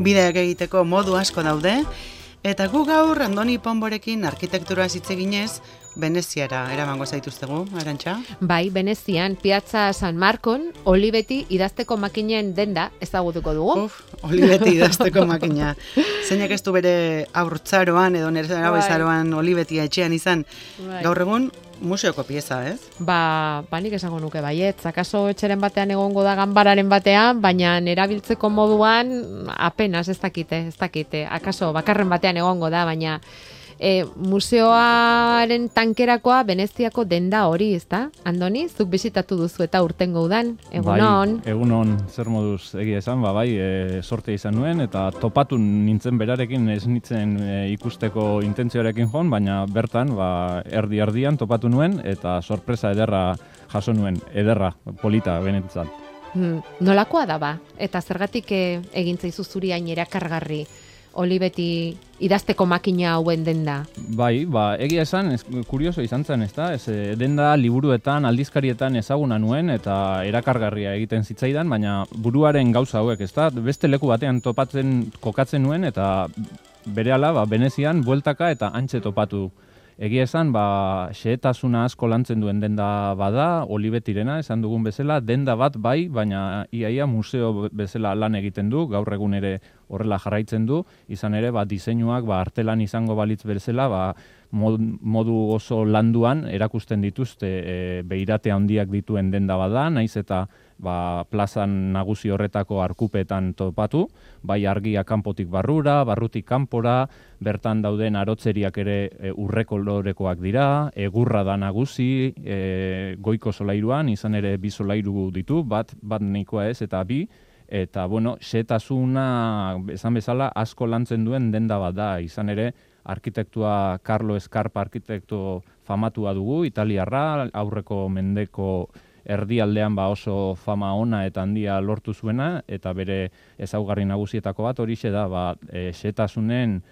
Bideak egiteko modu asko daude, eta gu gaur Andoni Ponborekin arkitektura hitz eginez, Veneziara eramango zaituztegu, Arantxa? Bai, Venezian, Piazza San Marcon, Olivetti idazteko makinen denda ezagutuko dugu. Olivetti idazteko makina. Zeinak ez du bere haurtzaroan edo nire zaroan Olivetti etxean izan, gaur egun museoko pieza, ez? Nik esango nuke baietz, akaso etxeren batean egongo da ganbararen batean, baina erabiltzeko moduan apenas ez dakite, akaso bakarren batean egongo da, baina museoaren tankerakoa Veneziako denda hori, ezta? Andoni, zuk bisitatu duzu eta urtengo udan, egunon. Bai, egunon, zer moduz egia esan, sorte izan nuen, eta topatu nintzen berarekin ez nintzen ikusteko intentzioarekin joan, baina bertan, erdi-erdian topatu nuen, eta sorpresa ederra jaso nuen, ederra, polita, benetzat. Nolakoa da ba? Eta zergatik egintzaizu zuri hain erakargarri Olivetti idazteko makina hauen denda? Bai, egia esan, kurioso izan zen, ezta? Denda liburuetan, aldizkarietan ezaguna nuen eta erakargarria egiten zitzaidan, baina buruaren gauza hauek, ezta? Beste leku batean kokatzen nuen eta berehala, Venezian bueltaka eta antxe topatu. Egia esan, xehetasuna asko lantzen duen denda bada, Olivettirena, esan dugun bezala, denda bat bai, baina iaia museo bezala lan egiten du, gaur egun ere horrela jarraitzen du, izan ere, diseinuak artelan izango balitz bezala, modu oso landuan erakusten dituzte beirate handiak dituen denda bada, naiz eta plazan nagusi horretako arkupetan topatu, bai argia kanpotik barrura, barrutik kanpora, bertan dauden arotzeriak ere urre kolorekoak dira, egurra da nagusi, goiko solairuan, izan ere bi solairu ditu, bat nahikoa ez eta bi, eta xehetasuna esan bezala asko lantzen duen denda bat da, izan ere arkitektua Carlo Scarpa arkitekto famatua dugu, italiarra, aurreko mendeko erdialdean oso fama ona eta handia lortu zuena, eta bere ezaugarri nagusietako bat horixe da, xehetasunen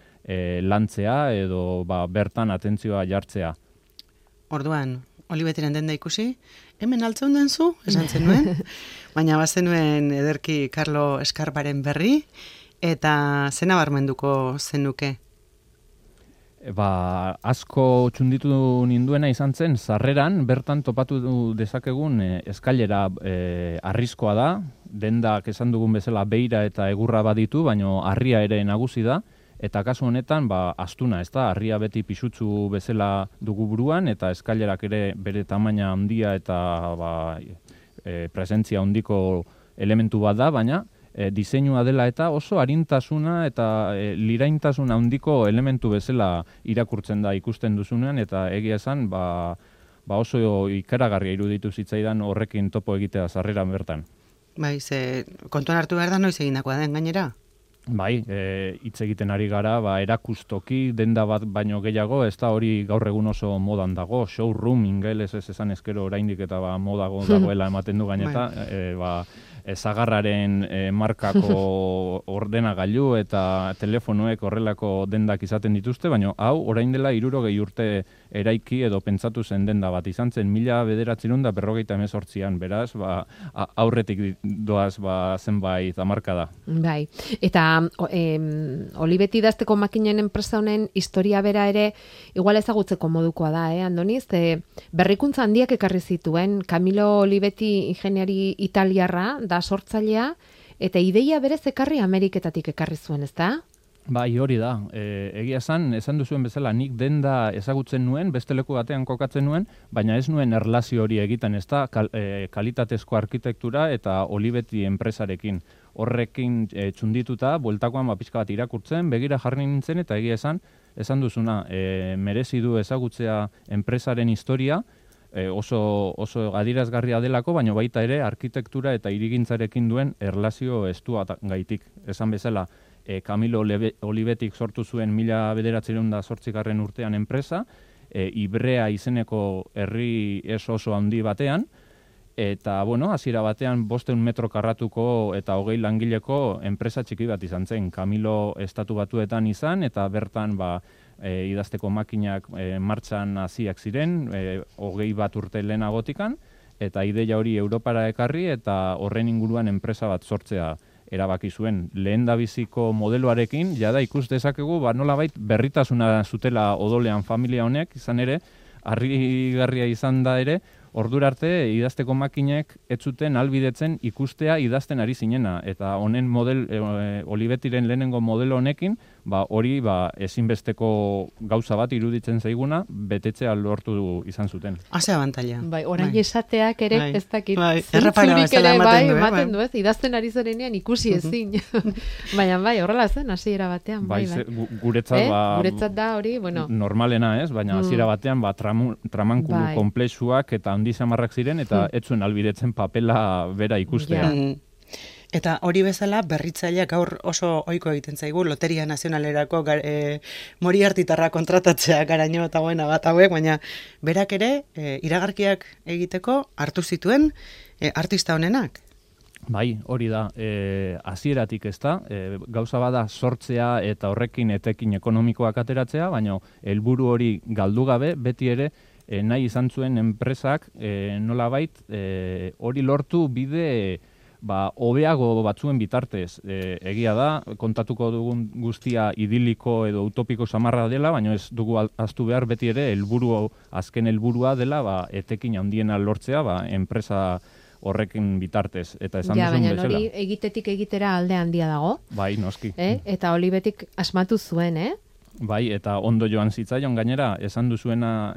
lantzea edo bertan atentzioa jartzea. Orduan, Olivettiren denda ikusi, hemen altzeun denzu, esan zenuen, baina bazenuen ederki Carlo Scarparen berri, eta zena barmenduko zenuke? Asko txunditu ninduena izan zen, sarreran bertan topatu dezakegun eskailera arriskoa da, dendak esan dugun bezala beira eta egurra baditu, baina harria ere nagusi da, eta kasu honetan astuna, ez da, harria beti pisutsu bezala dugu buruan, eta eskailerak ere bere tamaina handia eta presentzia handiko elementu bat da, baina diseinua dela eta oso arintasuna eta liraintasuna handiko elementu bezala irakurtzen da ikusten duzunean, eta egia esan oso ikaragarria iruditu zitzaidan horrekin topo egitea sarreran bertan. Bai, kontuan hartu behar da noiz egindakoa den gainera? Bai, hitz egiten ari gara, erakustoki, denda bat baino gehiago, ez da hori gaur egun oso modan dago, showroom ingeles ez esan ezkero oraindik eta modago dagoela ematen du gaineta, zagarraren markako ordenagailu eta telefonoek horrelako dendak izaten dituzte, baina hau orain dela 60 urte eraiki edo pentsatu zen denda bat izan zen 1958an, beraz, aurretik doaz zenbait hamarkada. Bai, eta Olivetti idazteko makinen enpresa honen historia bera ere igual ezagutzeko modukoa da, Andoniz? Berrikuntza handiak ekarri zituen, Camillo Olivetti ingeniari italiarra da sortzailea, eta ideia berez ekarri Ameriketatik ekarri zuen, ezta? Bai, hori da. Egia esan duzuen bezala, nik denda ezagutzen nuen, beste leku batean kokatzen nuen, baina ez nuen erlazio hori egiten, ez da, kalitatezko arkitektura eta Olivetti enpresarekin. Horrekin txundituta, bueltakoan pixka bat irakurtzen, begira jarri nintzen, eta egia esan duzuna, merezi du ezagutzea enpresaren historia, oso adierazgarria delako, baina baita ere arkitektura eta hirigintzarekin duen erlazio estua gaitik. Esan bezala, Camillo Olivettik sortu zuen 1908 urtean enpresa, Ibrea izeneko herri oso handi batean, eta, hasiera batean 500 metro karratuko eta 20 langileko enpresa txiki bat izan zen. Camillo estatu batuetan izan, eta bertan idazteko makinak martxan hasiak ziren, 21 urte lehenagotikan, eta ideia hori Europara ekarri eta horren inguruan enpresa bat sortzea. erabaki zuen. Lehendabiziko modeloarekin, jada ikus dezakegu, nolabait berritasuna zutela odolean familia honek, izan ere, harrigarria izan da ere, ordura arte idazteko makinek ez zuten albidetzen ikustea idazten ari zinena. Eta honen Olibetiren lehenengo modelo honekin, hori ezinbesteko gauza bat iruditzen zaiguna, betetzea lortu izan zuten. Haze abantaila. Orain esateak ere, ez dakit, zentzurik ere ematen du, ez? Idazten ari zarenean ikusi ezin. Baina horrela zen, hasiera batean. Guretzat da hori, bueno. Normalena ez, baina hasiera batean tramankulu komplexuak eta handi samarrak ziren, eta ez zuen albidetzen papela bera ikustea. Eta hori bezala berritzaileak gaur oso ohiko egiten zaigu Loteria Nazionalerako Moriartitarra kontratatzea garaino eta buena bat hauek, baina berak ere iragarkiak egiteko hartu zituen artista honenak. Bai, hori da, hasieratik ez da, gauza bada sortzea eta horrekin etekin ekonomikoak ateratzea, baina helburu hori galdu gabe, beti ere nahi izan zuen enpresak nolabait hori lortu bide hobeago batzuen bitartez. Egia da, kontatuko dugun guztia idiliko edo utopiko samarra dela, baina ez dugu ahaztu behar beti ere azken helburua dela etekin handiena lortzea enpresa horrekin bitartez. Eta esan duzun bezala. Baina hori egitetik egitera alde handia dago. Bai, noski. Eta Olibetik asmatu zuen, Bai, eta ondo joan zitzaion gainera, esan duzuena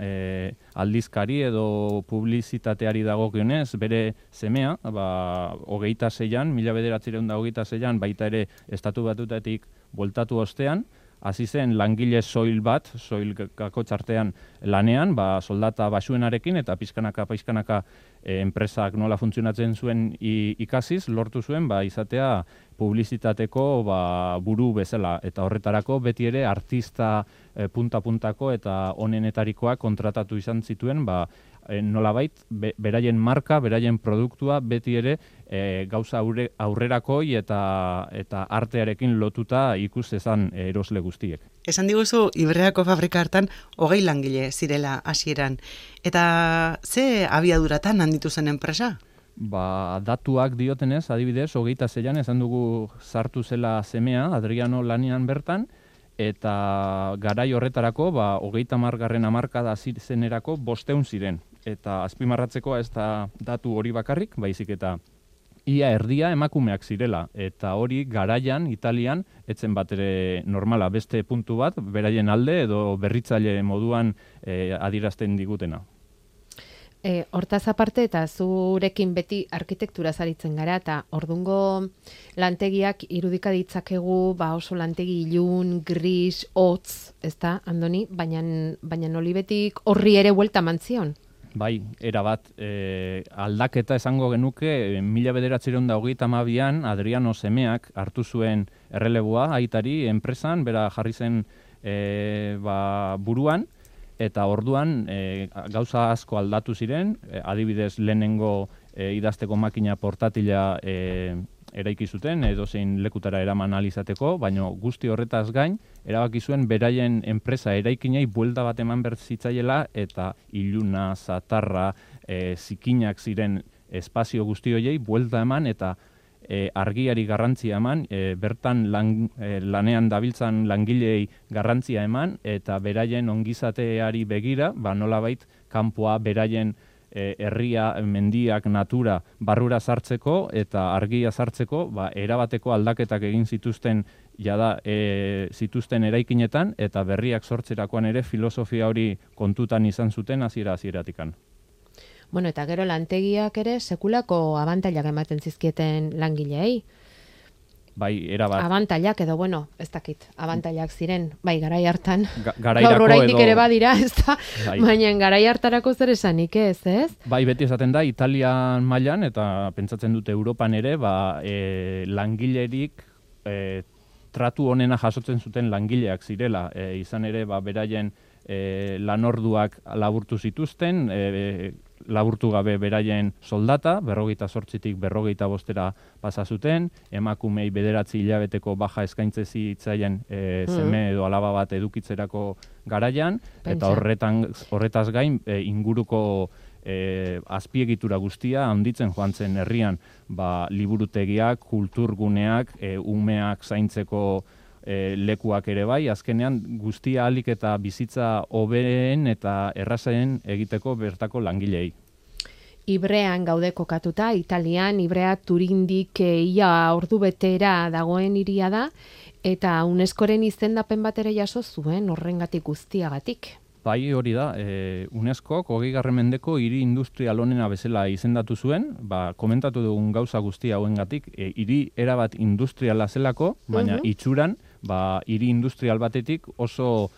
aldizkari edo publizitateari dagokionez, bere semea, 26an, 1926an, baita ere Estatu Batuetatik bueltatu ostean, hasi zen langile soil kakotxartean lanean, soldata basuenarekin eta pizkanaka enpresak nola funtzionatzen zuen ikasiz, lortu zuen izatea publizitateko buru bezala. Eta horretarako beti ere artista punta-puntako eta onenetarikoak kontratatu izan zituen, nolabait, beraien marka, beraien produktua beti ere gauza aurrerakoi eta artearekin lotuta ikus ezan erosle guztiek. Esan diguzu, Ibreako fabrika hartan 20 langile zirela hasieran. Eta ze abiaduratan handitu zen enpresa? Datuak diotenez, adibidez, 26an esan dugu sartu zela semea, Adriano lanean bertan, eta garai horretarako, 30. hamarkada zenerako 500 ziren. Eta azpimarratzeko ez da datu hori bakarrik, baizik eta ia erdia emakumeak zirela. Eta hori garaian, Italian, etzen bat ere normala, beste puntu bat, beraien alde edo berritzaile moduan adierazten digutena. Hortaz aparte eta zurekin beti arkitektura zaritzen gara, eta ordungo lantegiak irudika ditzakegu oso lantegi ilun, gris, hotz, ez da, Andoni? Baina Olibetik horri ere buelta mantzion? Bai, erabat, aldaketa esango genuke, 1932an Adriano semeak hartu zuen erreleboa aitari enpresan, bera jarri zen buruan, eta orduan gauza asko aldatu ziren, adibidez lehenengo idazteko makina portatila eraiki zuten, edozein lekutara eraman alizateko, baina guzti horretaz gain, erabaki zuen beraien enpresa eraikinei buelta bat eman bertzitzaiela, eta iluna, zatarra, zikinak ziren espazio guzti horiei buelta eman, eta argiari garrantzia eman, bertan lanean dabiltzan langilei garrantzia eman, eta beraien ongizateari begira, nolabait, kanpoa beraien herria, mendiak, natura barrura sartzeko eta argia sartzeko, erabateko aldaketak egin zituzten zituzten eraikinetan, eta berriak sortzerakoan ere filosofia hori kontutan izan zuten hasiera-hasieratikan. Bueno, eta gero lantegiak ere sekulako abantailak ematen zizkieten langileei. Bai, erabat. Abantailak edo, ez dakit, abantailak ziren, garai hartan. Garairako oraindik ere badira, ez da, baina garai hartarako zer esanik ez? Bai, beti esaten da, Italian mailan, eta pentsatzen dute Europan ere, langilerik tratu honena jasotzen zuten langileak zirela. Izan ere, beraien lanorduak laburtu zituzten, laburtu gabe beraien soldata, 48tik 45 pasa zuten, emakumei 9 hilabeteko baja eskaintze zitzaien seme edo alaba bat edukitzerako garaian, eta horretaz gain inguruko azpiegitura guztia handitzen joan zen herrian, liburutegiak, kulturguneak, umeak zaintzeko lekuak ere bai, azkenean guztia ahalik eta bizitza hobeen eta errazen egiteko bertako langilei. Ibrean gaude kokatuta, Italian, Ibrea Turindik ia ordu betera dagoen hiria da, eta UNESCOren izendapen bat ere jaso zuen horrengatik guztiagatik. Bai, hori da, UNESCOk 20. mendeko hiri industrial onena bezala izendatu zuen, komentatu dugun gauza guztia hauengatik, hiri erabat industriala zelako, baina itxuran, hiri industrial batetik oso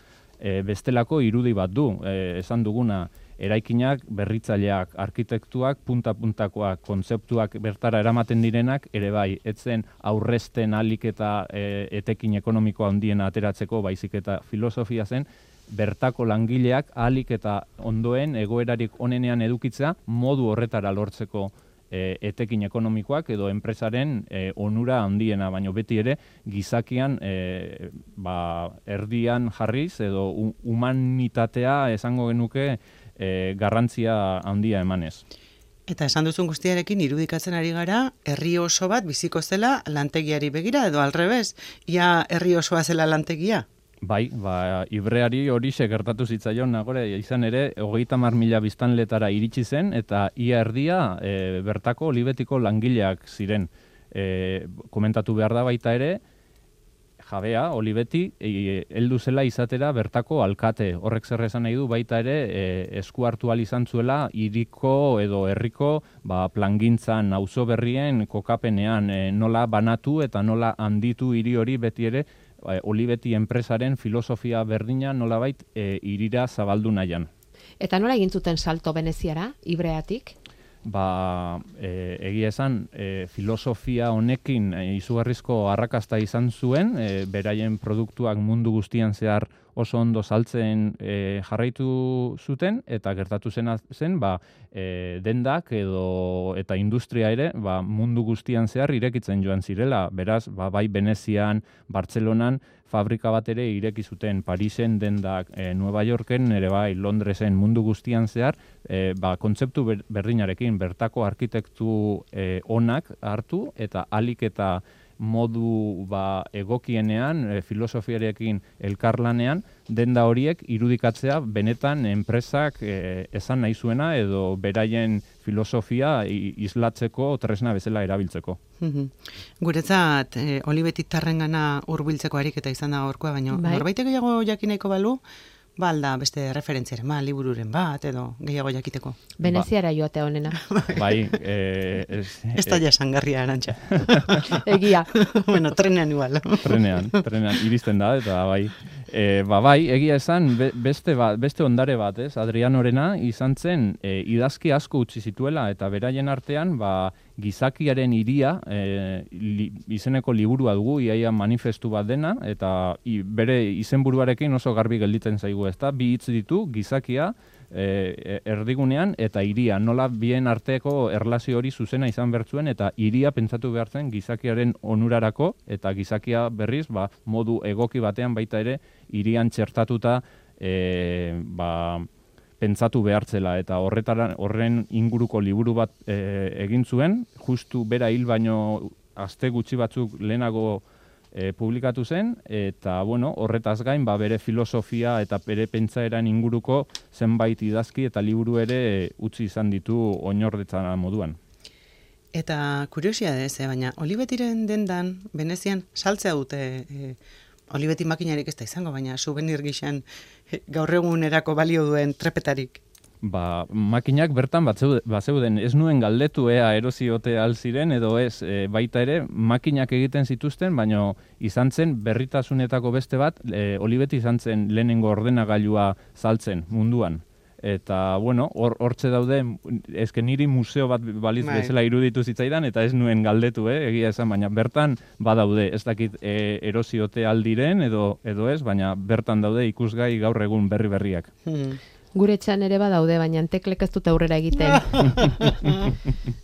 bestelako irudi bat du, esan duguna, eraikinak, berritzaileak, arkitektuak, punta-puntakoak, kontzeptuak bertara eramaten direnak, ere bai, etzen aurrezten alik eta etekin ekonomikoa handiena ateratzeko, baizik eta filosofia zen, bertako langileak ahalik eta ondoen egoerarik onenean edukitzea modu horretara lortzeko etekin ekonomikoak edo enpresaren onura handiena, baino beti ere gizakian erdian jarriz edo humanitatea esango genuke garrantzia handia emanez. Eta esan duzun guztiarekin irudikatzen ari gara, herri oso bat biziko zela lantegiari begira edo alrebez, ia herri osoa zela lantegia? Bai, Ibreari horixe gertatu zitzaion nagore, izan ere, 30.000 biztanletara iritsi zen, eta ia erdia bertako olibetiko langileak ziren. Komentatu behar da baita ere, jabea, olibeti, heldu zela izatera bertako alkate. Horrek zer esan nahi du baita ere, esku hartu ahal izan zuela, hiriko edo herriko plangintzan, auzo berrien kokapenean, nola banatu eta nola handitu hiri hori beti ere, Olibeti enpresaren filosofia berdina nolabait hirira zabaldu nahian. Eta nola egin zuten salto Veneziara, Ibreatik? Egia esan, filosofia honekin izugarrizko arrakasta izan zuen, beraien produktuak mundu guztian zehar oso ondo saltzen jarraitu zuten, eta gertatu zen dendak eta industria ere mundu guztian zehar irekitzen joan zirela. Beraz, bai Venezian, Bartzelonan, fabrika bat ere ireki zuten, Parisen dendak, Nueva Yorken ere bai, Londresen mundu guztian zehar, kontzeptu berdinarekin bertako arkitektu onak hartu eta alik eta modu egokienean, filosofiarekin elkarlanean, denda horiek irudikatzea benetan enpresak esan nahi zuena edo beraien filosofia islatzeko tresna bezala erabiltzeko. Guretzat, olibetitarrengana hurbiltzeko ariketa izan da gaurkoa, baina norbaitek gehiago jakin nahiko balu, alda beste referentziaren libururen bat, edo gehiago jakiteko. Veneziara joatea honena. Bai. Ez da jasangarria Arantxa. Egia. Bueno, trenean igual. Trenean, iristen da, eta bai. Bai, egia esan, beste ondare bat, Adrianorena izan zen idazki asko utzi zituela, eta beraien artean, gizakiaren hiria izeneko liburua dugu, iaia manifestu bat dena, eta bere izenburuarekin oso garbi gelditzen zaigu, ezta? Bi hitz ditu, gizakia, erdigunean eta hiria, nola bien arteko erlazio hori zuzena izan bertzuen, eta hiria pentsatu behartzen gizakiaren onurarako, eta gizakia berriz, modu egoki batean baita ere, hirian txertatuta pentsatu behartzela, eta horren inguruko liburu bat egin zuen, justu bera hil baino aste gutxi batzuk lehenago publikatu zen, eta horretaz gain bere filosofia eta bere pentsaeran inguruko zenbait idazki eta liburu ere utzi izan ditu oinordetzan moduan. Eta kuriosidadez, baina Olibetiren dendan, Venezian, saltzea dute Olibeti makinarik ez da izango, baina souvenir gixan gaur egunerako balio duen trepetarik. Makinak bertan bazeuden, ez nuen galdetu eroziote alziren, edo ez, baita ere, makinak egiten zituzten, baina izan zen berritasunetako beste bat, Olibeti izan zen lehenengo ordenagailua saltzen munduan. Eta, hortze daude, ezken niri museo bat baliz bezala iruditu zitzaidan, eta ez nuen galdetu, egia esan, baina bertan badaude, ez dakit eroziote aldiren, edo ez, baina bertan daude ikusgai gaur egun berriak. Gure etxean ere badaude, baina teklek ez dute aurrera egiten.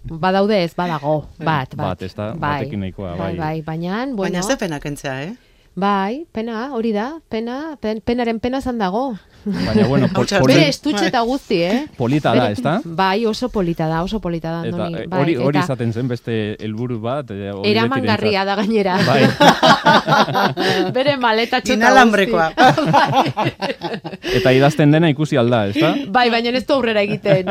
Badaude ez, badago, bat. Ez da, batekin nahikoa, bai. Baina, baina zepenak entzea, Bai, pena, hori da, penaren pena zan dago. Baina, bueno, Bere estutxe eta guzti, polita da, ezta? Bai, oso polita da, Andoni. Eta Bai, hori izaten zen beste helburu bat. Eramangarria da gainera. Bai. Bere maleta txota Inalambrekoa. Eta idazten dena ikusi alda, ezta? Bai, baina ez du aurrera egiten.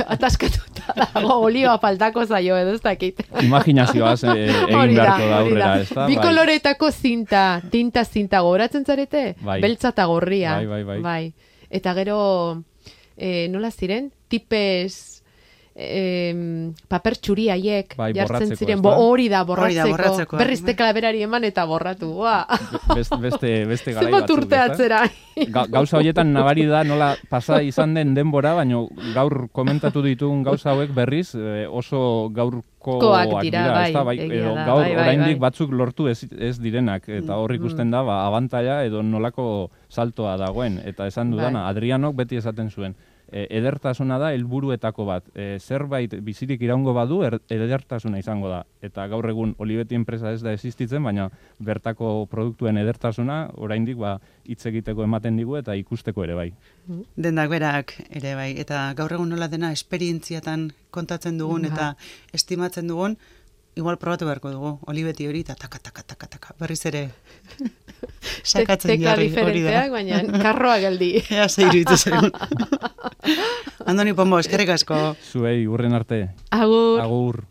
Ataskatuta dago, olioa faltako zaio edo ez dakit. Imaginazioaz egin beharko da aurrera, ezta? Bi koloretako tinta goratzen zarete? Bai. Beltza eta gorria. Bai. Eta gero, nola ziren? Tipez paper txuri haiek jartzen ziren. Hori da, borratzeko. Berriz tekalaberari eman eta borratu. Beste garai zenbat urte atzera. Gauza horietan nabari da nola pasa izan den denbora, baina gaur komentatu ditugun gauza hauek berriz oso gaurkoak dira, gaur oraindik batzuk lortu ez direnak, eta hor ikusten da abantaila edo nolako saltoa dagoen, eta esan dudana, Adrianok beti esaten zuen, edertasuna da helburuetako bat. Zerbait bizirik iraungo badu, edertasuna izango da. Eta gaur egun Olivetti enpresa ez da existitzen, baina bertako produktuen edertasuna oraindik hitz egiteko ematen digu eta ikusteko ere bai. Dendak berak ere bai. Eta gaur egun nola dena esperientziatan kontatzen dugun eta estimatzen dugun, igual probatu beharko dugu, Olivetti hori eta taka, berriz ere sakatzen jarri hori da. Baina karroa geldi. Ea zeiru itezen. Andoni Pombo, eskerrik asko. Zuei, urren arte. Agur. Agur.